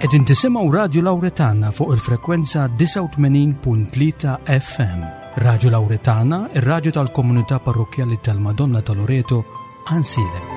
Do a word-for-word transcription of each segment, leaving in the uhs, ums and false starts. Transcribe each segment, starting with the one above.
Qegħdin tisimgħu Radju Lawretana fuq il-frekwenza disgħa u tmenin punt tlieta F M. Radju Lawretana, ir-radju tal-komunità parrokkjali tal-Madonna ta' Loreto, Għajnsielem.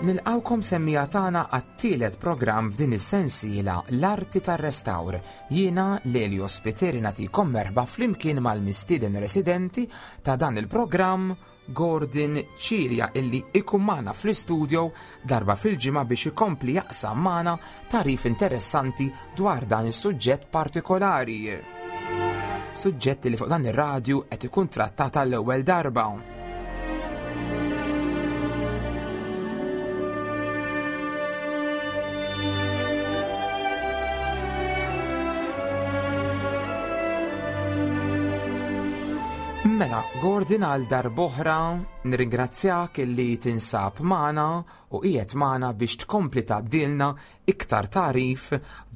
Nilqawkom semmija tagħna għat-tielet programm f'din is-sensiela L-Arti tar-Restawr. Jiena Lelio Spiteri nagħtikom merħba flimkien mal-mistieden residenti ta' dan il-programm Gordon Cilia, illi ikun magħna fl-istudio darba fil-ġimgħa biex ikompli jaqsam magħna tarif interessanti dwar dan is-suġġett partikolari. Suġġett li fuq dan ir-radju qed ikun trattat għall-ewwel darba. Mela, Gordon, għal darb'oħra nirringrazzjak illi tinsab magħna u qiegħed magħna biex tkompli tgħaddilna iktar tarif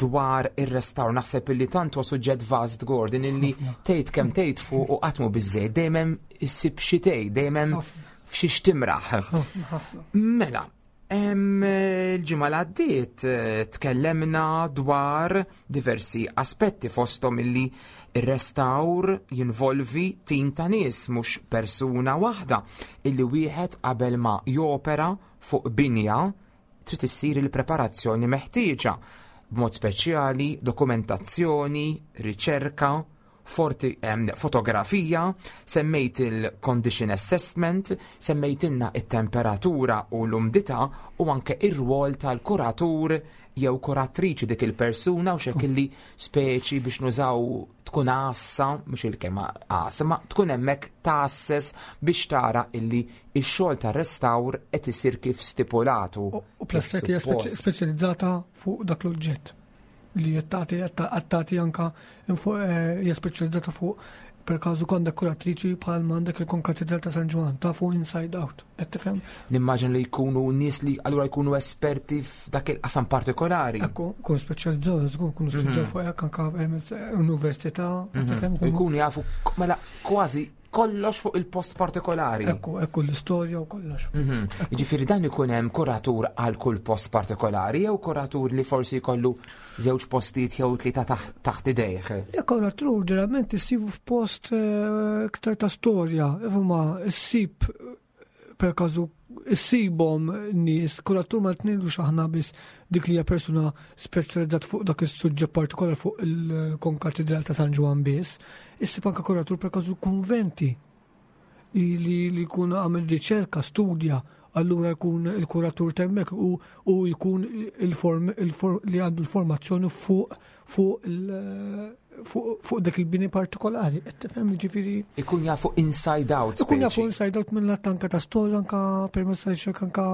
dwar ir-restawr. Naħseb illi tant huwa suġġett vast, Gordon, illi Ħafna. tgħid kemm tgħid fuq u qatt mhu biżżejjed, dejjem hemm issib xi tgħid, dejjem hemm Ħafna. f'xiex timraħ. Ħafna, ħafna. Mela, em, il-ġimgħa li għaddiet, eh, tkellemna dwar diversi aspetti fosthom illi ir-restawr jinvolvi tim ta' nies, mhux persuna waħda, illi wieħed qabel ma jopera fuq binja trid issir il-preparazzjoni meħtieġa, b'mod speċjali dokumentazzjoni, riċerka, forti, em, fotografija, semmejt il-condition assessment, semmejtilna it-temperatura u l-umdità u anke ir-rwol tal-kuratur jew kuratriċi, dik il-persuna u xek illi speċi biex nużaw tkun għassa, mhux il-kelma għassa, ma tkun hemmhekk tasses biex tara illi x-xogħol tar-restawr qed isir kif stipulatu. U, u plus kif hekk hija speċi- suppost. speċjalizzata fuq dak l-oġġett li qed tagħti, qed tagħti anka info, eh, hija speċjalizzata fuq, per każu għandek kuratriċi bħal ma għandek il-Konkatedral ta' San Ġwann, ta' fuq inside out, qed tifhem? Nimmaġin li jkunu nies li allura jkunu esperti f'dak il-qasam partikolari. Ekku, kun speċjalizzaw, żgur, kunu speċjalizzaw Mhm. fuq hekk anka permezz università, qed Mhm. tifhem? U jkunu jafu k-, mela kważi kollox fuq il-post partikolari. Ekku, ekku l-istorja u kollox. Mhm. Jiġifieri dan ikun hemm kuratur għal kull post partikolari jew kuratur li forsi jkollu żewġ postijiet jew tlieta taħ-, taħt idejh? Le, kuratur ġeneralment issibu f'post, eh, iktar ta' storja, imma issib per każu issibhom nies, kuratur ma tnidux aħna biss dik li hija persuna speċjalizzat fuq dak is-suġġett partikolari fuq il-Konkatedral ta' San Ġwann biss, issib anke kuratur per każu kunventi li, li jkun għamel riċerka, studja, allura jkun il-kuratur temmek u, u jkun il-form, il-form, li għandu l-formazzjoni fuq, fuq il-, fuq, fuq dak il-bini partikolari. Qed tifhem, jiġifieri Ikun jafu inside out, Ikun jafu speċi. inside out mill-lat anka ta' storja, anka permezz ta' riċerka, anka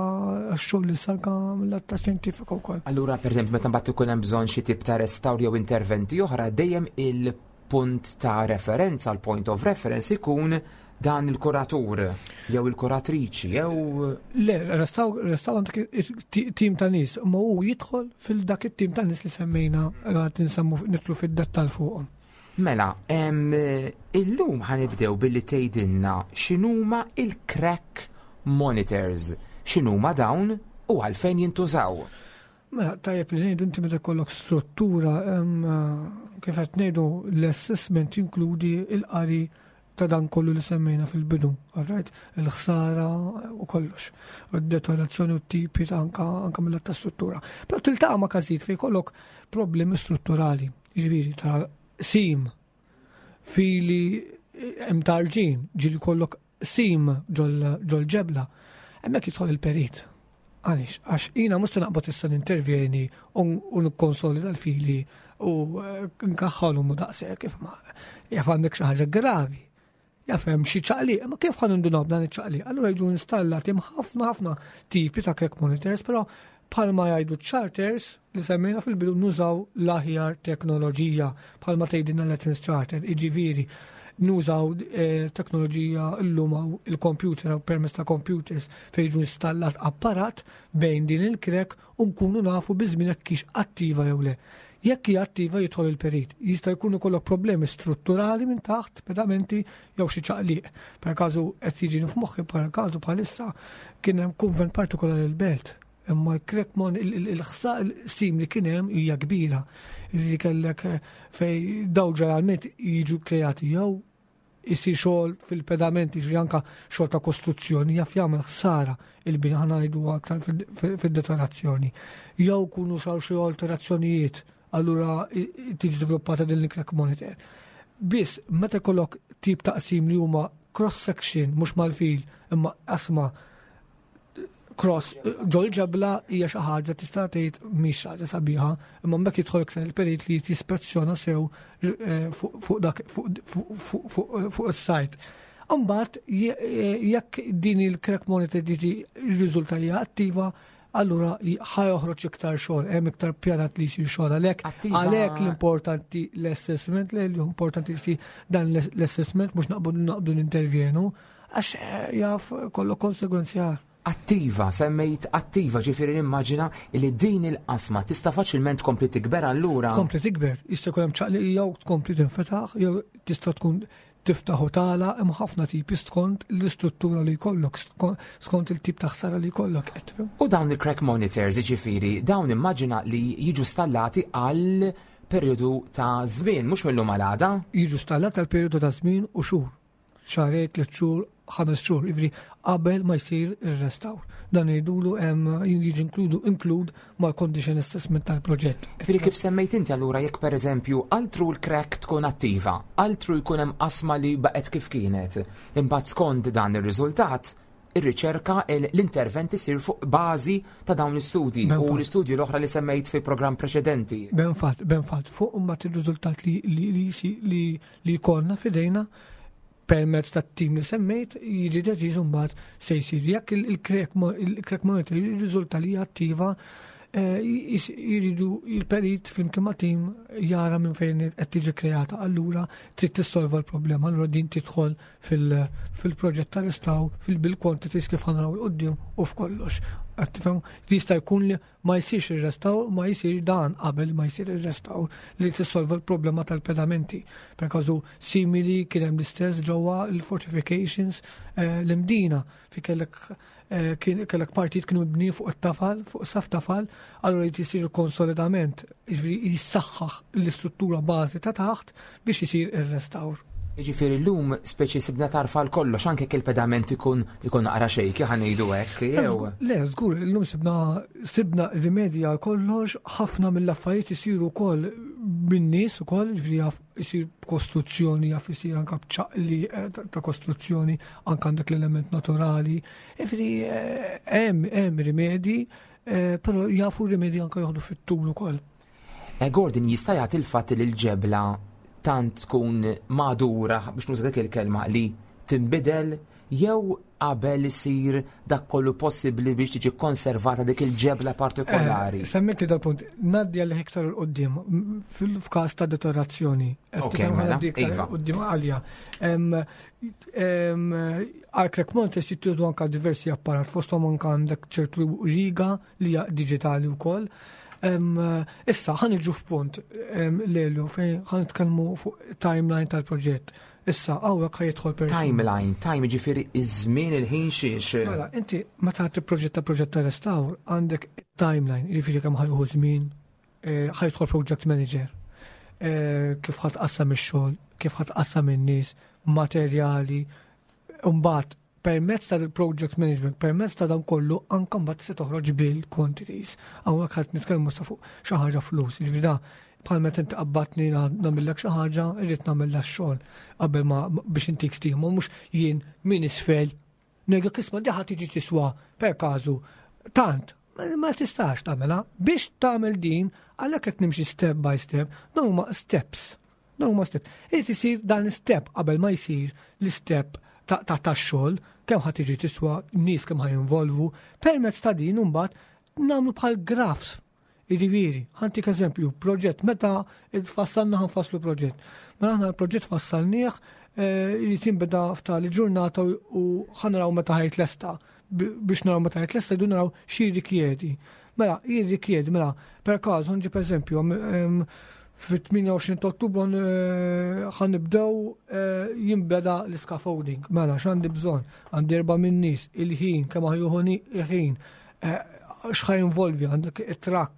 għax-xogħol li sar, anka mill-lat ta' xjentifika wkoll. Allura, per eżempju, meta mbagħad ikun hemm bżonn xi tip ta' restawr jew interventi oħra, dejjem il-punt ta' referenza, l-point of reference ikun dan il-kuratur jew il-kuratriċi jew Le, restawr, restawr għandek ti-, tim ta' nies, ma hu jidħol fil-dak it-tim ta' nies li semmejna, għad nsemmu nidħlu fid-dettall fuqhom. Mela, em, illum ħanibdew billi tgħidilna x'inhuma il-crack monitors, x'inhuma dawn u għalfejn jintużaw. Mela, tajjeb li ngħidu inti meta jkollok struttura, em, kif qed ngħidu l-assessment jinkludi l-qari ta' dan kollu li semmejna fil-bidu, all right? Il-ħsara u kollox, u d-deteriorazzjoni u t-tipi ta' anka, anka mill-lat ta' struttura. Però tiltaqa' ma' każijiet fejn jkollok problemi strutturali, jiġifieri ta' sim fili hemm tarġin, ġieli jkollok sim ġol-ġebla. Hemmhekk jidħol il-perit. Għaliex, għax jiena mhux naqbad issa nintervjeni u nikkonsolida l-fili u eh, nkaħħalhom u daqshekk kif ma jaf għandek xi ħaġa gravi. Jaf hemm xi ċaqliq, ma kif ħa nindunaw b'dan iċ-ċaqliq? Allura jiġu installati ħafna ħafna tipi ta' crack monitors, però bħalma jgħidu charters li semmejna fil-bidu, nużaw l-aħjar teknoloġija, bħalma tgħidilna l-Athens Charter, iġifieri nużaw eh, teknoloġija llum hawn il-computer u permezz ta' computers fejn jiġu installat apparat bejn din il-crack u nkunu nafu biżmien jekk hix attiva jew le. Jekk hija attiva, jidħol il-perit. Jista' jkun ikollok problemi strutturali minn taħt, pedamenti jew xi ċaqliq. Per każu qed jiġi f'moħħi, per każu bħalissa kien hemm kunvent partikolari l-Belt. Imma l-crack mon il-ħsa sim li kien hemm hija kbira. Li kellek eh, fej daw ġeneralment jiġu kreati jew isir xogħol fil-pedamenti, ġifieri anka xogħol ta' kostruzzjoni jaf jagħmel ħsara il-bini, ħa ngħidu aktar fil-deteriorazzjoni. Jew kunu saru xi alterazzjonijiet, allura tiġi żviluppata din il-crack monitor. Biss meta jkollok tip ta' qsim li huma cross section, mhux mal-fil imma qasma cross ġol ġebla, hija xi ħaġa tista' tgħid mhix ħaġa sabiħa, imma mbagħad jidħol iktar il-perit li jispezzjona sew eh, fuq dak fuq is-site. Imbagħad jekk din il-crack monitor tiġi riżulta hija attiva, allura ħa joħroġ iktar xogħol, hemm iktar pjanat li jsir xogħol għalhekk. Għalhekk l-importanti l-assessment, li importanti li dan l-assessment, mhux naqbdu naqbdu nintervjenu, għax eh, jaf kollu konsegwenzi. Attiva, semmejt attiva, ġifieri nimmaġina li din il-qasma tista' faċilment tkompli tikber allura. Tkompli tikber, jista' jkun hemm ċaqli jew tkompli tinfetaħ, jew tista' tkun tiftaħ u tala, hemm ħafna tipi skont l-istruttura li jkollok, skont il-tip ta' ħsara li jkollok. U dawn il-crack monitors, ġifieri, dawn immaġina li jiġu stallati għal periodu ta' żmien, mhux mill-lum għal għada? Jiġu stallati għal periodu ta' żmien u xhur. Xahrejn, tliet xhur, ħames xhur, ġifieri qabel ma jsir ir-restawr. Dan jgħidulu hemm jiġi inkludu include mal-condition assessment tal-proġett. Ġifieri kif semmejt inti allura, jekk pereżempju altru l-crack tkun attiva, altru jkun hemm qasma li baqgħet kif kienet, imbagħad skont dan ir-riżultat ir-riċerka, l-intervent isir fuq bażi ta' dawn l-istudji u l-istudji l-oħra li semmejt fil-programm preċedenti. Ben fatt, ben fatt, fuq imbagħad ir-riżultat li li li li jkollna f'idejna permezz ta' tim li semmejt, jiġi deċiż mbagħad se jsir. Jekk il-crack monitor jirriżulta li attiva, eh, jiridu il-perit flimkien ma' tim jara minn fejn qed tiġi kreata, allura trid tissolva l-problema, allura din tidħol fil-proġett ta' restawr, fil-bill quantities kif ħa naraw 'il quddiem u f'kollox. Tifhem, jista' jkun li ma jsirx ir-restawr, ma jsir dan qabel ma jsir ir-restawr li tissolva l-problema tal-pedamenti. Per każu simili kien hemm l-istess ġewwa l-fortifications eh, l-Imdina fi kellek eh, kellek partit kienu mibni fuq it-tafal, fuq saf tafal, allura jrid jisir konsolidament, jiġifieri jissaħħaħ l-istruttura bażi ta' taħt biex isir ir-restawr. Ġifieri llum speċi sibna tarfa kollox, anke il-pedament ikun ikun naqra shaky, ħa ngħidu hekk, jew. Le, żgur, illum sibna sibna rimedji għal kollox, ħafna mill-affarijiet isiru wkoll min-nies ukoll, ġifieri jaf isir kostruzzjoni, jaf isir anke b'ċaqli eh, ta' kostruzzjoni, anke għandek l-element naturali. Ġifieri eh, hemm hemm rimedji, eh, però jafu rimedji anke joħdu fit-tul ukoll. Gordon, jista' jagħti il-fatt li l-ġebla tant tkun madura, biex nuża dik il-kelma, li tinbidel jew qabel isir dak kollu possibbli biex tiġi konservata dik il-ġebla partikolari? Eh, Semmejt li dal-punt, ngħaddi għal iktar 'il quddiem fil-każ ta' deteriorazzjoni. Ok, mela, iva. Quddiem għalja. Għal crack monitors jittieħdu anka diversi apparat, fosthom anka għandek ċertu riga li hija diġitali wkoll. Issa, ħa niġu f'punt lelu fejn ħa nitkellmu fuq timeline tal-proġett. Issa, hawnhekk ħa jidħol person. Timeline, time ġifieri iż-żmien, il-ħin xiex. Mela, inti meta tipproġetta proġett ta' restawr għandek timeline, jiġifieri kemm ħa jieħu żmien, eh, ħa jidħol project manager, eh, kif ħa tqassam ix-xogħol, kif ħa tqassam in-nies, materjali, mbagħad permezz ta' project management, permezz ta' dan kollu, anka mbagħad se toħroġ bill quantities. Hawnhekk ħadd nitkellmu sa fuq xi ħaġa flus. Jiġifieri da bħal meta inti qabbatni nagħmellek xi ħaġa, irrid nagħmel xogħol qabel ma biex intik stima, mhux jien min isfel Ngħidlek isma' di ħa tiġi tiswa per każu tant. Ma tistax tagħmilha. Biex tagħmel din, għalhekk qed nimxi step by step, dawn huma steps. Dawn huma step. Irid isir dan step qabel ma jsir l-step ta' tax-xogħol, kemm ħa tiġi tiswa, nies kemm ħa jinvolvu, permezz ta' din imbagħad nagħmlu bħal graphs. Jiġifieri, ħa ntik eżempju, proġett, meta fassalna ħa nfasslu proġett. Mela aħna l-proġett fassalnieh, irid jinbeda f'tali ġurnata u ħa naraw meta ħa jitlesta. Biex naraw meta ħa jitlesta jdu naraw xi rikjedi. Mela, jirrikjedi, mela, per każ, ħa nġib eżempju, fit-tmienja u għoxrin ta' Ottubru ħa nibdew jinbeda l-scaffolding. Mela, x'għandi bżonn? Għandi erba' minn nies, il-ħin, kemm ħa jieħu il-ħin, x'ħa jinvolvi, għandek it-truck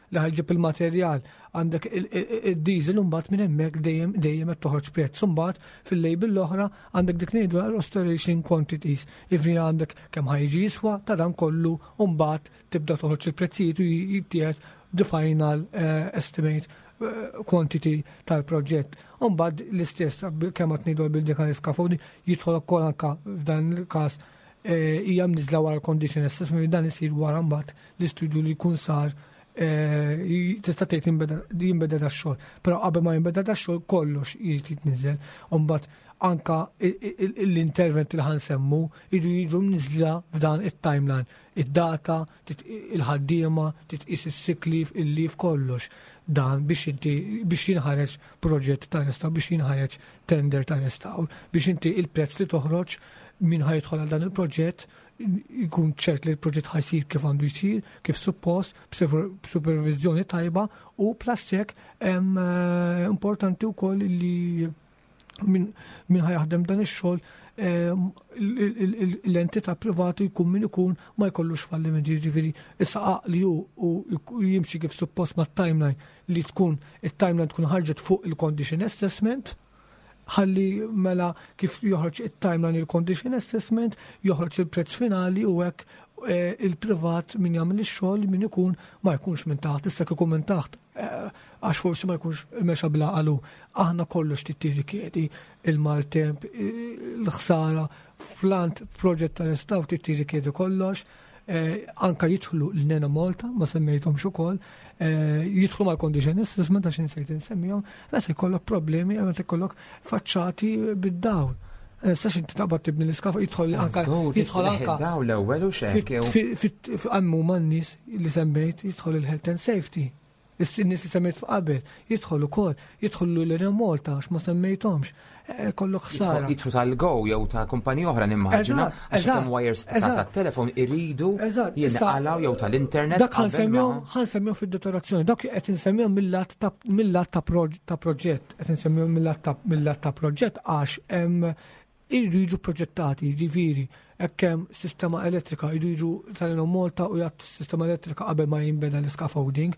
li ħa jġib il-materjal, għandek il-diesel, mbagħad minn hemmhekk dejjem dejjem qed toħroġ prezz. Mbagħad fil-label l-oħra għandek dik ngħidu restoration quantities. Jiġifieri għandek kemm ħa jiġi jiswa ta' dan kollu, u mbagħad tibda toħroġ il-prezzijiet u jittieħed the final estimate quantity tal-proġett. Mbagħad l-istess kemm qed ngħidu bil-dik scaffolding jidħol ukoll anka f'dan il-każ hija mniżla wara condition assessment, dan isir wara mbagħad l-istudju li jkun sar, tista' tgħid jinbeda dax-xogħol. Però qabel ma jinbeda dax-xogħol kollox irid jitniżel. U mbagħad anka l-intervent li ħa nsemmu jridu jiġu mniżla f'dan it-timeline. Id-data, il-ħaddiema, titqis is-sick leave, il-leave, kollox. Dan biex inti biex jinħareġ proġett ta' restawr, biex jinħareġ tender ta' restawr, biex inti il-prezz li toħroġ min ħa jidħol għal dan il-proġett jkun ċert li l-proġett ħa jsir kif għandu jsir, kif suppost, b'supervizjoni tajba u plus hekk importanti wkoll li min ħa jaħdem dan ix-xogħol, l-entità privata jkun min ikun, ma jkollux fallimenti, jiġifieri issa għaqli hu u jimxi kif suppost ma' timeline li tkun it-timeline tkun ħarġet fuq il-condition assessment, ħalli mela kif joħroġ it-timeline, il-condition assessment, joħroġ il-prezz finali u hekk il-privat min jagħmel ix-xogħol min ikun ma jkunx minn taħt, issa ikun minn taħt għax forsi ma jkunx mexa bla qalu. Aħna kollox tirrikjedi il-maltemp, il-ħsara, flant proġett ta' restawr tirrikjedi kollox, anka jidħlu l-Enemalta, ma semmejthomx ukoll, jidħlu mal-condition assessment għax insejt insemmihom, meta jkollok problemi, meta jkollok faċċati bid-dawl. Sax inti taqbad tibni l-iskafa, jidħol anka jidħol anka daw l-ewwel u xek. Għammu man-nies li semmejt jidħol il-health and safety. Is-nies li semmejt f'qabel, jidħol ukoll, jidħol l-Enemalta għax ma semmejthomx. Kollok ħsara. Jidħlu tal-Go jew ta' kumpanija oħra nimmaġina, għax hemm wires ta' telefon iridu jinqalgħu jew tal-internet. Dak ħa nsemmihom fid-deteriorazzjoni, dak qed insemmihom mill-lat ta' proġett, qed insemmihom mill-lat ta' proġett għax iridu jiġu proġettati, jiġifieri, hekk hemm sistema elettrika, jridu jiġu tal-Enemalta u jagħtu sistema elettrika qabel ma jinbeda l-scaffolding.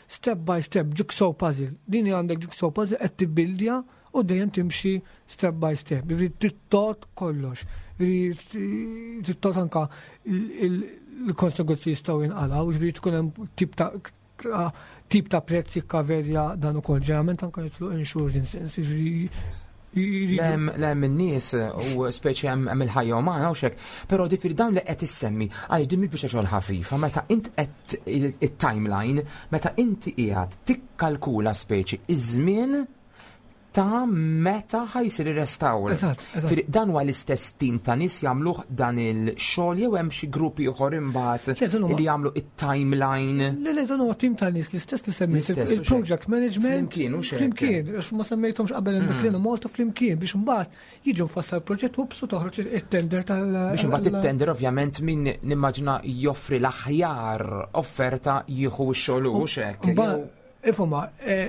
Step by step, jigsaw puzzle. Din għandek jigsaw puzzle qed tibbildja u dejjem timxi step by step. Jiġifieri tittot kollox. Jiġifieri tittot anka il-konsegwenzi jistgħu jinqalgħu, jiġifieri tkun hemm tip ta' tip ta' prezz jikkaverja dan ukoll. Ġeneralment anka jitlu insurance, jiġifieri Lem in-nies u speċi hemm il-ħajja umana u xek, però difiri dawn li qed issemmi għal din mhix biex xogħol ħafifa, meta int qed it-timeline, meta inti qiegħed tikkalkula speċi iż-żmien ta' meta ħa jsir ir-restawr. Dan huwa l-istess tim ta' nies jagħmluh dan il-xogħol jew hemm xi gruppi oħor imbagħad li jagħmlu it-timeline? Le, le, dan huwa tim ta' nies l-istess li semmejt il-project management. Flimkien u xejn. Flimkien, għax ma semmejthomx qabel dak li Malta flimkien biex imbagħad jiġu mfassal proġett u bsu toħroġ it-tender tal. Biex imbagħad it-tender ovvjament min nimmaġina joffri l-aħjar offerta jieħu x-xogħol u xek. Ifhma,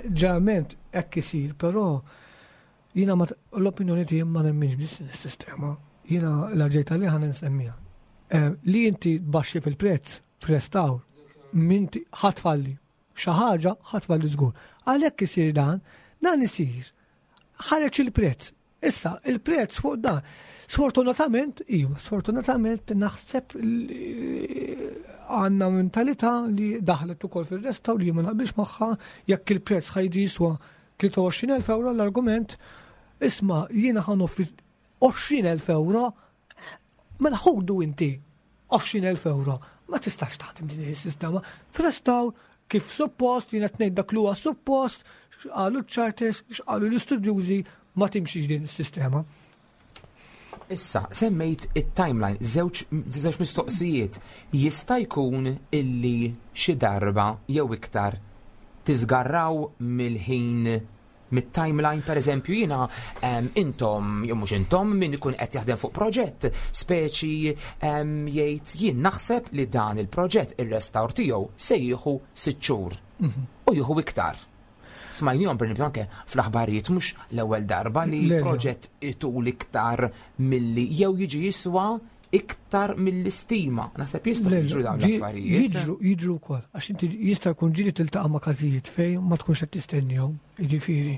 ġeneralment hekk isir, però jiena l-opinjoni tiegħi ma nemminx biss is-sistema. Jiena la ġejta li ħa nsemmiha. Li inti tbaxxi fil-prezz f'restawr, minti ħa tfalli. Xi ħaġa ħa tfalli żgur. Għalhekk isir dan, dan isir. Ħareġ il-prezz. Issa, il-prezz fuq dan. Sfortunatament, iva, sfortunatament naħseb għandna mentalità li daħlet ukoll fil-restawr li ma naqbilx magħha, jekk il-prezz ħa jiġi jiswa tlieta u għoxrin elf euro l-argument, isma' jiena ħa noffri għoxrin elf euro, Mela ħudu inti għoxrin elf euro. Ma tistax taħdem din is-sistema. F'restawr kif suppost, jiena tnejn dak li huwa suppost, x'qalu ċ-charters, x'qalu l-istudjużi, ma timxix din is-sistema. Issa, semmejt it-timeline, żewġ żewġ mistoqsijiet. Jista' jkun illi xi darba jew iktar tiżgarraw mill-ħin, mit-timeline? Per eżempju, jiena em, intom, jew mhux intom, min ikun qed jaħdem fuq proġett, speċi em, jgħid jien naħseb li dan il-proġett, ir-restawr tiegħu se jieħu sitt xhur u jieħu iktar. Smajnihom per esempio anke fl-aħbarijiet, mhux l-ewwel darba li Le, le. proġett itul iktar milli jew jiġi jiswa iktar mill-istima. Naħseb jistgħu Le, jiġru dawn ġi- l-affarijiet. Jiġru, jiġru wkoll, għax inti jista' jkun ġieli tiltaqa' ma' każijiet fejn ma tkunx qed tistennihom, jiġifieri.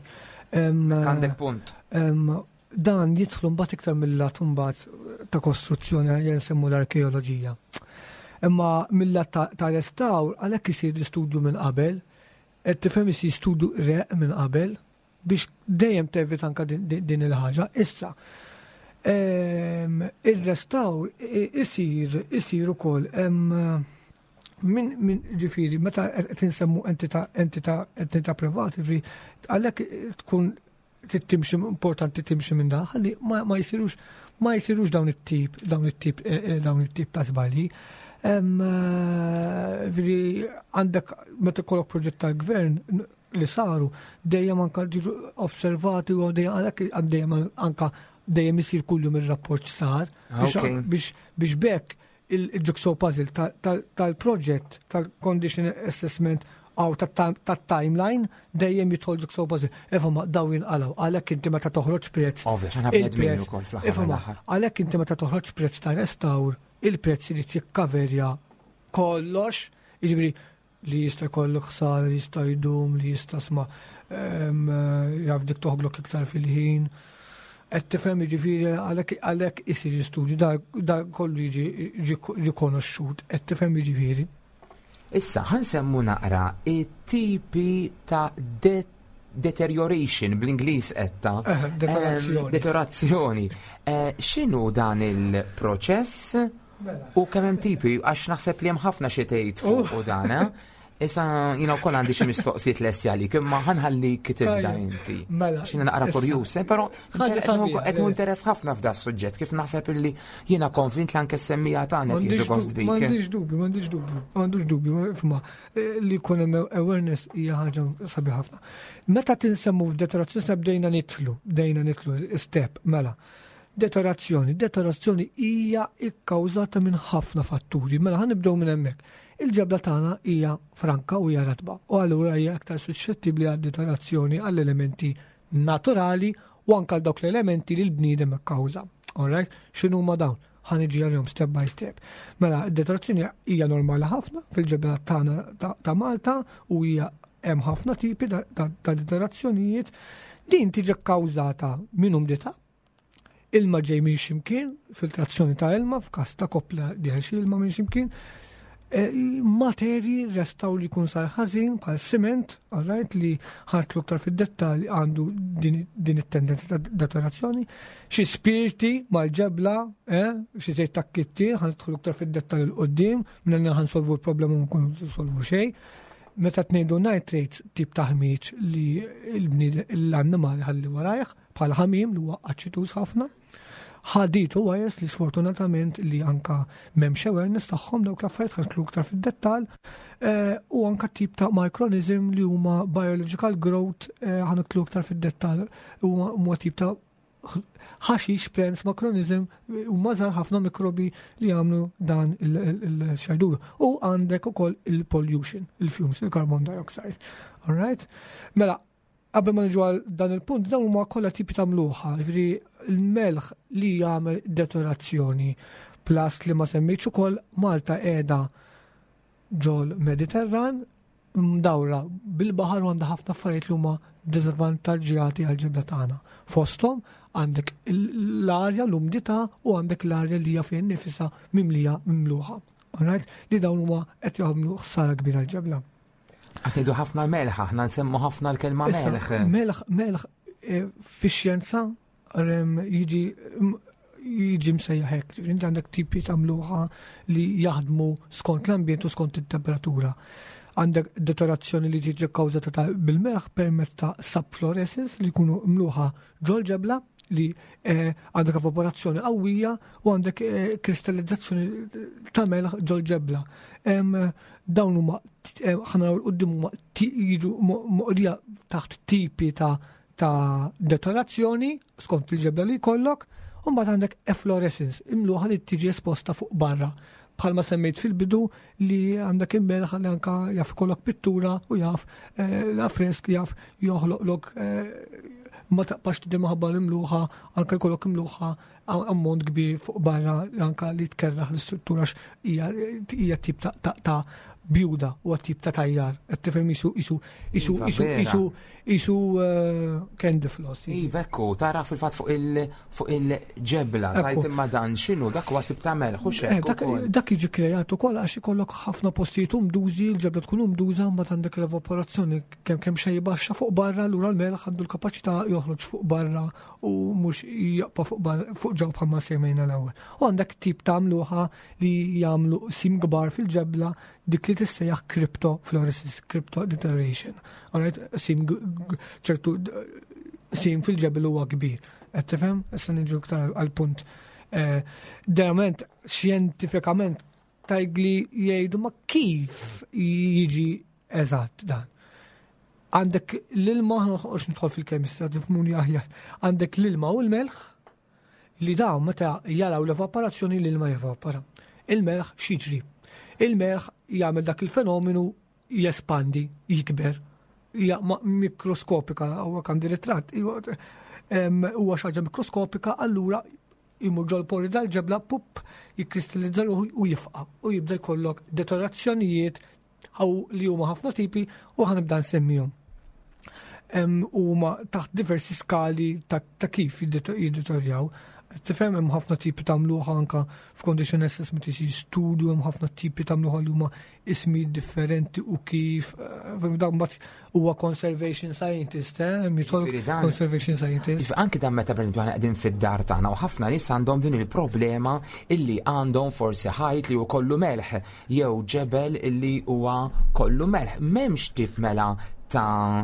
Em, Għandek punt. em, dan jidħlu mbagħad iktar mill-lat mbagħad ta' kostruzzjoni, għal nsemmu l-arkeoloġija. Imma mill-lat ta' ta' restawr, għalhekk isir l-istudju minn qabel, qed tifhem, isir studju req minn qabel biex dejjem tevita anka din, din din il-ħaġa. Issa, em, il-restawr i- isir isir ukoll em, min min ġifieri meta qed insemmu entità entità entità privati, ġifieri għalhekk tkun trid timxi, importanti timxi minn dan ħalli ma, ma jsirux ma jsirux dawn it-tip dawn it-tip eh, eh, dawn it-tip ta' żbalji. Em, eh, Ġifieri għandek meta jkollok proġett tal-gvern n- li saru dejjem anka ġiġu osservati u dejjem għalhekk dejjem anka dejjem isir kuljum ir-rapport sar biex Ok. biex biex bekk il-jigsaw puzzle tal-proġett, tal-condition assessment għaw tat-timeline dejjem jidħol jigsaw puzzle. Ifhem, daw jinqalaw, għalhekk inti meta toħroġ prezz. Ovvja, x'aħna bnedmin Il-prezz- ukoll fl-aħħar Ifhem, mill-aħħar. għalhekk inti meta toħroġ prezz ta' restawr, il-prezz irid jikkaverja kollox, jiġifieri li jista' jkollok ħsara, li jista' jdum, li jista' sma em, jaf dik toħlok iktar fil-ħin. Qed tifhem, jiġifieri għalhekk għalhekk isir studju da, da kollu jiġi rikonoxxut, qed tifhem, jiġifieri. Issa, ħa nsemmu naqra it-tipi ta' de deterioration bl-Ingliż etta. Eh, deteriorazzjoni. Em, Deteriorazzjoni. Eh, X'inhu dan il-proċess Mela. u kemm hemm tipi, għax naħseb li hemm ħafna xi tgħid fuq u dan, eh? Issa jiena wkoll għandi xi mistoqsijiet lesti għalik, imma ħa nħallik tibda Tajjeb. inti. Mela, X'jiena naqra issa. kurjuż, eh, però Ħaġa sabiħa, qed le. interess ħafna f'da suġġett, kif naħseb illi jiena konvint li anke s-semmija tagħna qed jieħdu gost bik. M'għandix dubju, m'għandix dubju, m'għandux dubju, fma, eh, li jkun hemm awareness hija ħaġa sabiħ ħafna. Meta tinsemmu f'deteriorazzjoni bdejna nidħlu, bdejna nidħlu step, mela. Deteriorazzjoni, deteriorazzjoni hija ikkawżata minn ħafna fatturi, mela ħa nibdew minn hemmhekk. Il-ġebla tagħna hija franka u hija ratba u allura hija aktar suscettibbli għad deteriorazzjoni għall-elementi naturali u anke għal dawk l-elementi li l-bniedem ikkawża. Alright? X'inhu ma dawn? Ħa niġi għalihom step by step. Mela, id-deteriorazzjoni hija normali ħafna fil-ġebla tagħna ta' ta' Malta u hija hemm ħafna tipi ta' ta' ta' deteriorazzjonijiet. Din tiġi kkawżata minn umdità, ilma ġej minn ximkien, filtrazzjoni ta' ilma, f'każ ta' koppla dieħel xi ilma minn ximkien, Eh, materji restaw li jkun sar ħażin bħal siment, alright, li ħa nidħlu iktar fid-dettall, għandu din, din it-tendenza ta' deteriorazzjoni, xi spirti mal-ġebla, eh, xi żejt ta' kittir, ħa nidħlu iktar fid-dettall 'il quddiem, minn ħa nsolvu l-problema ma nkunu solvu xejn. Meta tnejdu nitrates, tip ta' ħmiġ li l-bnied l-annimali ħalli warajh, bħal ħamim li huwa aċituż ħafna. Ħadid u wires li sfortunatament li anka m'hemmx awareness tagħhom dawk l-affarijiet, ħa nidħlu iktar fid-dettall, eh, u anka tip ta' micronism li huma biological growth, eh, ħa nidħlu iktar fid-dettall, huma huma tip ta' ħaxix, plants, micronism, u mażar ħafna mikrobi li jagħmlu dan il-xajdur. U għandek ukoll il-pollution, il-fumes, il-carbon dioxide. All right? Mela, qabel ma niġu għal dan il-punt, dawn huma kollha tipi ta' mluħa, jiġifieri il-melħ li jagħmel deteriorazzjoni. Plus li ma semmejtx ukoll, Malta qiegħda ġol Mediterran, mdawra bil-baħar u għandha ħafna affarijiet li huma diżvantaġġjati għal ġebla tagħna. Fosthom għandek l-arja, l-umdità u għandek l-arja li hija fejn nifisha mimlija mimluħa. Alright? Li dawn huma qed jagħmlu ħsara kbira l-ġebla. Qed ngħidu ħafna melħ, aħna nsemmu ħafna l-kelma Issa, melħ. Melħ, melħ eh, fix-xjenza rem, jiġi m- jiġi msejjaħ hekk. Ġifieri inti għandek tipi ta' mluħa li jaħdmu skont l-ambjent u skont it-temperatura. Għandek deteriorazzjoni li tiġi kkawżata ta' bil-melħ permezz ta' subflorescence li jkunu mluħa ġol-ġebla li eh, għandek evaporazzjoni qawwija u għandek eh, kristallizzazzjoni ta' melħ ġol-ġebla. Em, Dawn huma eh, ħa naraw 'l quddiem huma ti- jiġu mo- moqrija taħt tipi ta' ta' deteriorazzjoni skont il-ġebla li jkollok, u mbagħad għandek efflorescence, imluħa li tiġi esposta fuq barra. Bħalma semmejt fil-bidu li għandek il-melħ li anka jaf ikollok pittura u jaf eh, l-affresk jaf joħloqlok eh, ma taqpax tidher minħabba l-imluħa, anka jkollok imluħa ammont kbir fuq barra anka li tkerraħ l-istruttura għax hija hija tip ta' ta' ta' bjuda u tip ta' tajjar. Qed tifhem isu isu isu Iva, isu vera. isu isu eh, candy floss. Iva, ekku, tara fil-fatt fuq il- fuq il-ġebla, Ekku. tajt imma dan x'inhu, dak huwa tip ta' melħ, u Eh, xekk Dak ukoll. dak jiġi kreat ukoll għax ikollok ħafna postijiet umdużi, il-ġebla tkun umduża, mbagħad għandek l-evaporazzjoni kemm kemm xejn baxxa fuq barra, allura l-melħ għandu l-kapaċità joħroġ fuq barra u mhux jaqpa' fuq barra fuq ġew bħalma semmejna l-ewwel. U għandek tip ta' mluħa li jagħmlu sim kbar fil-ġebla dik li tissejjaħ crypto fluorescence, crypto deterioration. Alright, sim g- g- ċertu d- sim fil-ġebel huwa kbir. Qed tifhem? Issa niġu iktar għal-punt. Eh, Verament, xjentifikament tajgli jgħidu ma kif jiġi eżatt dan. Għandek l-ilma, noqgħodx nidħol fil-kemistra, tifhmuni aħjar. Għandek l-ilma u l-melħ li dawn meta jaraw l-evaporazzjoni l-ilma jevapora. Il-melħ x'jiġri? Il-melħ jagħmel dak il-fenomenu jespandi, jikber, hija ma- mikroskopika, huwa għandi ritratt, huwa xi ħaġa mikroskopika, allura jimur ġol pori dal-ġebla, pup, jikkristallizza ruħu u jifqa' u jibda jkollok deteriorazzjonijiet għaw li huma ħafna tipi u ħa nibda nsemmihom. Em, Huma taħt diversi skali ta' ta' kif jiddeterjaw. Tifhem hemm ħafna tipi ta' mluħa anka f'condition assessment isir studju hemm ħafna tipi ta' mluħa li huma ismi differenti u kif eh, dan mbagħad huwa conservation scientist, eh, hemm jidħol Jiġifieri dan- conservation scientist. Iva, anki dan meta per esempio aħna qegħdin fid-dar tagħna u ħafna nies għandhom din il-problema illi għandhom forsi ħajt li hu kollu melħ jew ġebel illi huwa kollu melħ. M'hemmx tip mela ta'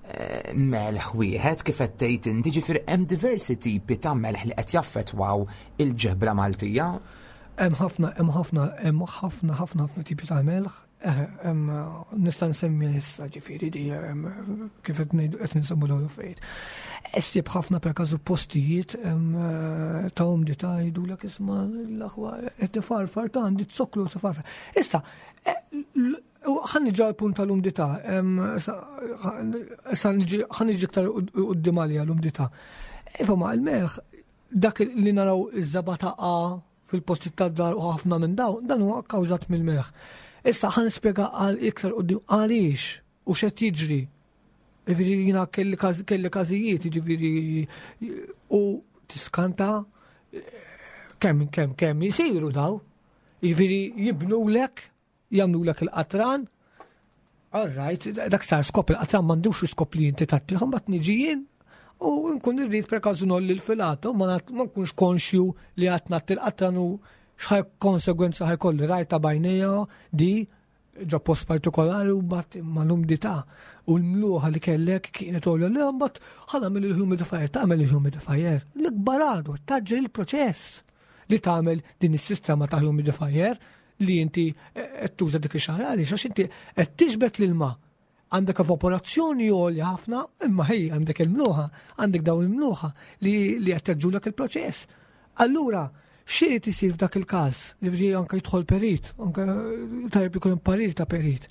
eh, melħ wieħed kif qed tgħid inti ġifieri hemm diversi tipi ta' melħ li qed jaffettwaw il-ġebla Maltija. Hemm ħafna, hemm ħafna, hemm ħafna, ħafna, ħafna tipi ta' melħ. Eh, hemm, nista' nsemmi issa ġifieri di hemm, kif qed ngħidu qed nsemmu dawn l-affarijiet. Issib ħafna per każu postijiet hemm, eh, ta' umdità jgħidulek isma' l-aħwa qed tifarfar ta' għandi zokklu tifarfar. Issa, eh, l- u ħa niġi għal-punt tal-umdità, hemm, issa issa niġi ħa niġi iktar quddiem għalija l-umdità. Iva ma il-melħ dak li naraw iż-żebgħa taqa' fil-posti tad-dar u ħafna minn daw, dan huwa kkawżat mill-melħ. Issa ħa nispjega għal iktar quddiem għaliex u x'qed jiġri. Jiġifieri jiena kelli każ- kelli każijiet, jiġifieri u tiskanta kemm kemm kemm jisiru daw. Jiġifieri jibnulek, jagħmlulek il-qatran. All right, dak sar skop il-qatran m'għandux skop li inti tgħattih, mbagħad niġi jien u nkun irrid per każu ngħolli l-filata u ma nat- ma nkunx konxju li qed ngħatti l-qatran u x'ħaj konsegwenza ħa jkolli rajta b'għajnejja di ġo post partikolari u bat ma l-umdità u l-mluħa li kellek kienet għolja li mbagħad ħa nagħmel il-humidifier, tagħmel il-humidifier. L-ikbar għadu, tgħaġġel il-proċess li tagħmel din is-sistema ta' humidifier li inti qed tuża dik ix-xahar għaliex għax inti qed tiġbed l-ilma għandek evaporazzjoni għolja ħafna, imma ħej għandek il-mluħa, għandek dawn il-mluħa li li qed tgħaġġlulek il-proċess. Allura, x'irid isir f'dak il-każ? Jiġifieri anke jidħol perit, anke tajjeb ikun hemm parir ta' perit.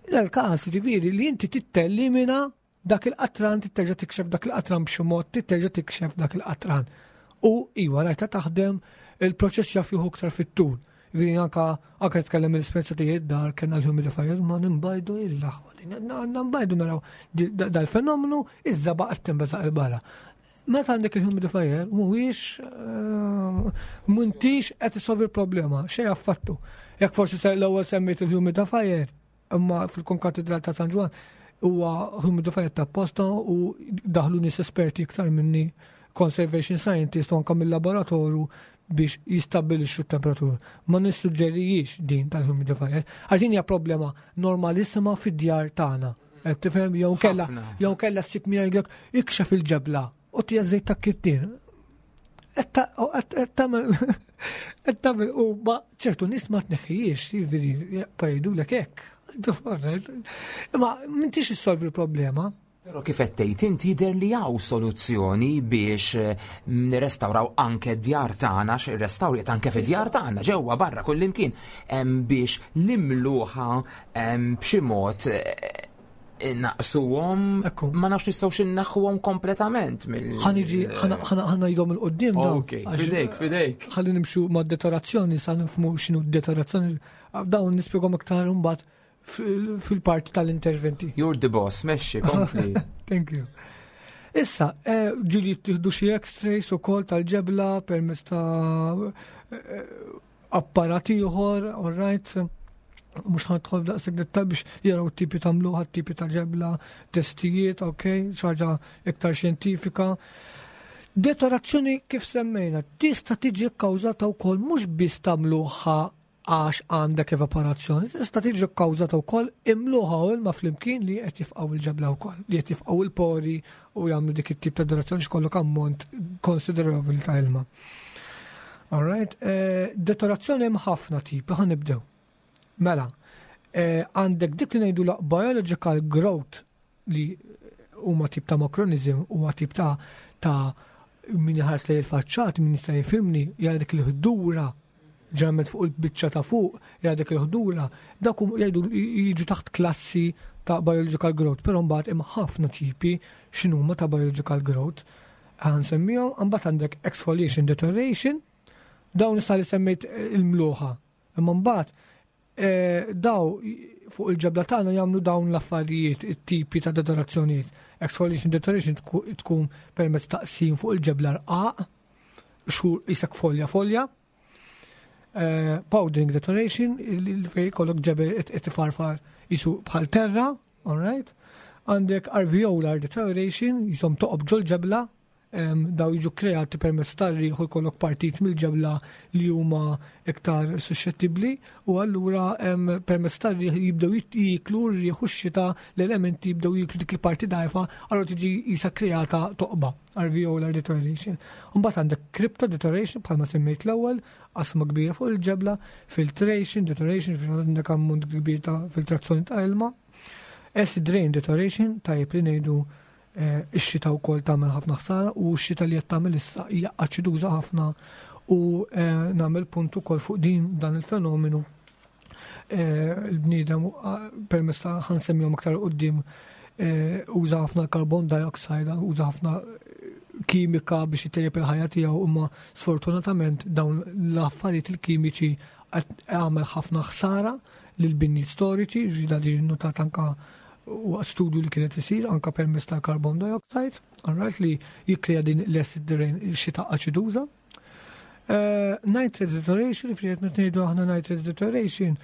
Dal-każ jiġifieri li inti tittellimina dak il-qatran, titterġa' tikxef dak il-qatran b'xi mod, titterġa' tikxef dak il-qatran. U iwa rajta taħdem il-proċess jaf jieħu iktar fit-tul. Jiġifieri anka anka nitkellem mill-esperjenza tiegħi dar kellna l-humidifier ma nimbajdu il-aħwa. Nimbajdu naraw di- da- dal-fenomenu iż-żebgħa qed tinbeżaq 'il barra. Meta għandek il-humidifier, mhuwiex eh, m'intix qed isolvi l-problema, xejn affattu. Jekk forsi se l-ewwel semmejt il-humidifier, imma fil-Konkatedral ta' San Ġwann huwa humidifier ta' posta u daħlu nies esperti iktar minni conservation scientist u anka mill-laboratorju Biex jistabilixxu t-temperatura. Ma nissuġġerijiex din tal-humidifier. Għax din hija problema normalissima fid-djar tagħna. Qed tifhem, jew kella Ħafna. jew kella ssib miegħek jgħidlek ikxef il-ġebla u tija żejt ta' kittin. Qed ta- u qed qed tagħmel qed tagħmel u ma ċertu nies ma tneħħijiex, jiġifieri jgħidulek hekk. Imma m'intix issolvi l-problema. Però kif qed tgħid inti, jidher li hawn soluzzjoni biex eh, nirrestawraw anke d-djar tagħna, għax ir-restawr qed anke fid-djar tagħna ġewwa, barra, kullimkien, em, biex l-imluħa em, b'xi mod eh, naqsuhom, Ekku. ma nafx nistgħux inneħħuhom kompletament mill Ħa niġi ħa ngħidhom 'il quddiem dawn. Ok, Għax- fidejk, fidejk. Ħalli nimxu ma' deteriorazzjoni sa nifhmu x'inhu deteriorazzjoni. Dawn nispjegahom iktar imbagħad fil- fil-parti tal-interventi. You're the boss, mexxi, kompli. Thank you. Issa, eh, ġieli jittieħdu xi x-rays ukoll tal-ġebla permezz ta' eh, apparat ieħor, all right. Mhux ħa nidħol daqshekk dettal biex jaraw tipi ta' mluħa, tipi ta' ġebla, testijiet, ok, xi ħaġa iktar xjentifika. Deteriorazzjoni, kif semmejna, tista' tiġi kkawżata wkoll mhux biss ta' mluħa għax għandek evaporazzjoni, tista' tiġi kkawżata wkoll imluħa u ilma flimkien li qed jifqgħu il-ġebla wkoll, li qed jifqgħu il-pori u jagħmlu dik it-tip ta' deteriorazzjoni x'kollok ammont konsiderevoli ta' ilma. All right, eh, deteriorazzjoni hemm ħafna tipi, ħa nibdew. Mela, eh, għandek dik li ngħidu la biological growth, li huma tip ta' mucronism, huwa tip ta' ta' min iħares lejn il-faċċat, min jista' jifhimni, jara dik il-ħdura ġeneralment fuq il-biċċa ta' fuq, jara dik il-ħdura, dak hum- jgħidu jiġu taħt klassi ta' biological growth, però mbagħad hemm ħafna tipi x'inhuma ta' biological growth. Ħa nsemmihom, mbagħad għandek exfoliation deterioration, dawn issa li semmejt il-mluħa. Imma mbagħad eh, daw fuq il-ġebla tagħna jagħmlu dawn l-affarijiet, it-tipi ta' deteriorazzjonijiet. Exfoliation deterioration tku- tkun permezz taqsim fuq il-ġebla rqaq, xur isek folja folja. Eh, powdering deterioration, il- il- fej kollok ġebel qed ifarfar jisu bħal terra, all right? Għandek alveolar deterioration, jisom toqob ġol ġebla, em, daw jiġu kreati permezz tar-riħ u jkollok partit mill-ġebla li huma iktar suscettibbli u allura em, permezz tar-riħ jibdew jit- jiklu r-riħ u x-xita, l-elementi jibdew jiklu dik il-parti dajfa, allura tiġi jisa kreata toqba, alveolar deterioration. Mbagħad għandek crypto deterioration bħalma semmejt l-ewwel, qasma kbira fuq il-ġebla, filtration deterioration, għandek ammont kbir ta' filtrazzjoni ta' ilma. Acid rain deterioration, tajjeb li ngħidu eh, ix-xita wkoll tagħmel ħafna ħsara u x-xita li qed tagħmel issa hija aċiduża ħafna u eh, nagħmel punt ukoll fuq din dan il-fenomenu. Eh, il-bniedem eh, permezz ta' ħa nsemmihom aktar quddiem eh, uża ħafna carbon dioxide, uża ħafna kimika biex itejjeb il-ħajja tiegħu, imma sfortunatament dawn l-affarijiet il-kimiċi qed għamel ħafna ħsara lil binniet storiċi, ġida ġi notat anka waqt studju li kienet isir anka permezz tal-carbon dioxide, alright, li jikkrea din l-acid rain, il-xita aċiduża. Uh, nitrates deterioration, li qed ngħidu aħna nitrates deterioration,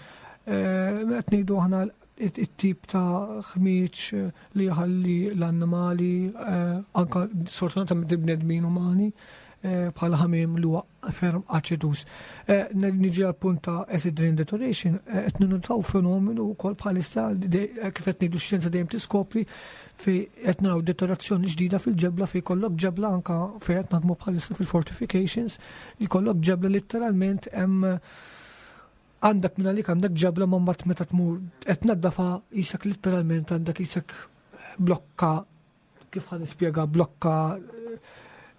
uh, qed ngħidu aħna it-tip ta' ħmieġ eh, li jħalli l-annimali, eh, anka sfortunatament il-bnedmin umani, eh, bħala ħamiem li huwa ferm aċidus. Eh, Niġi għal punt ta' acid rain deterioration, eh, qed ninnotaw fenomenu wkoll bħalissa de- eh, kif qed ngħidu x-xjenza dejjem tiskopri, fej qed naraw deteriorazzjoni ġdida fil-ġebla, fej kollok ġebla anka fej qed naħdmu bħalissa fil-fortifications, li kollok ġebla letteralment hemm għandek minn għalik għandek ġebla ma mbagħad meta tmur qed naddafa jisek letteralment għandek jisek blokka, kif ħa nispjega, blokka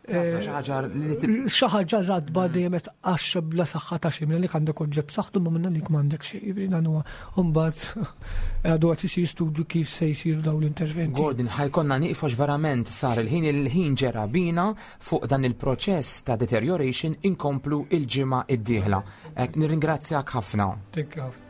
eh, Xi ħaġa li tib- xi ħaġa radba dejjem qed tqaxxa bla saħħa ta' xejn, li għandek oġġeb saħħtu ma minna lik m'għandek xejn. Jiġifieri dan huwa mbagħad għadu qed isir studju kif se jsiru dawn l-interventi. Gordon, ħa jkollna nieqfu għax verament sar il-ħin, il-ħin ġera bina. Fuq dan il-proċess ta' deterioration inkomplu il-ġimgħa id-dieħla. Nirringrazzjak ħafna. Thank you.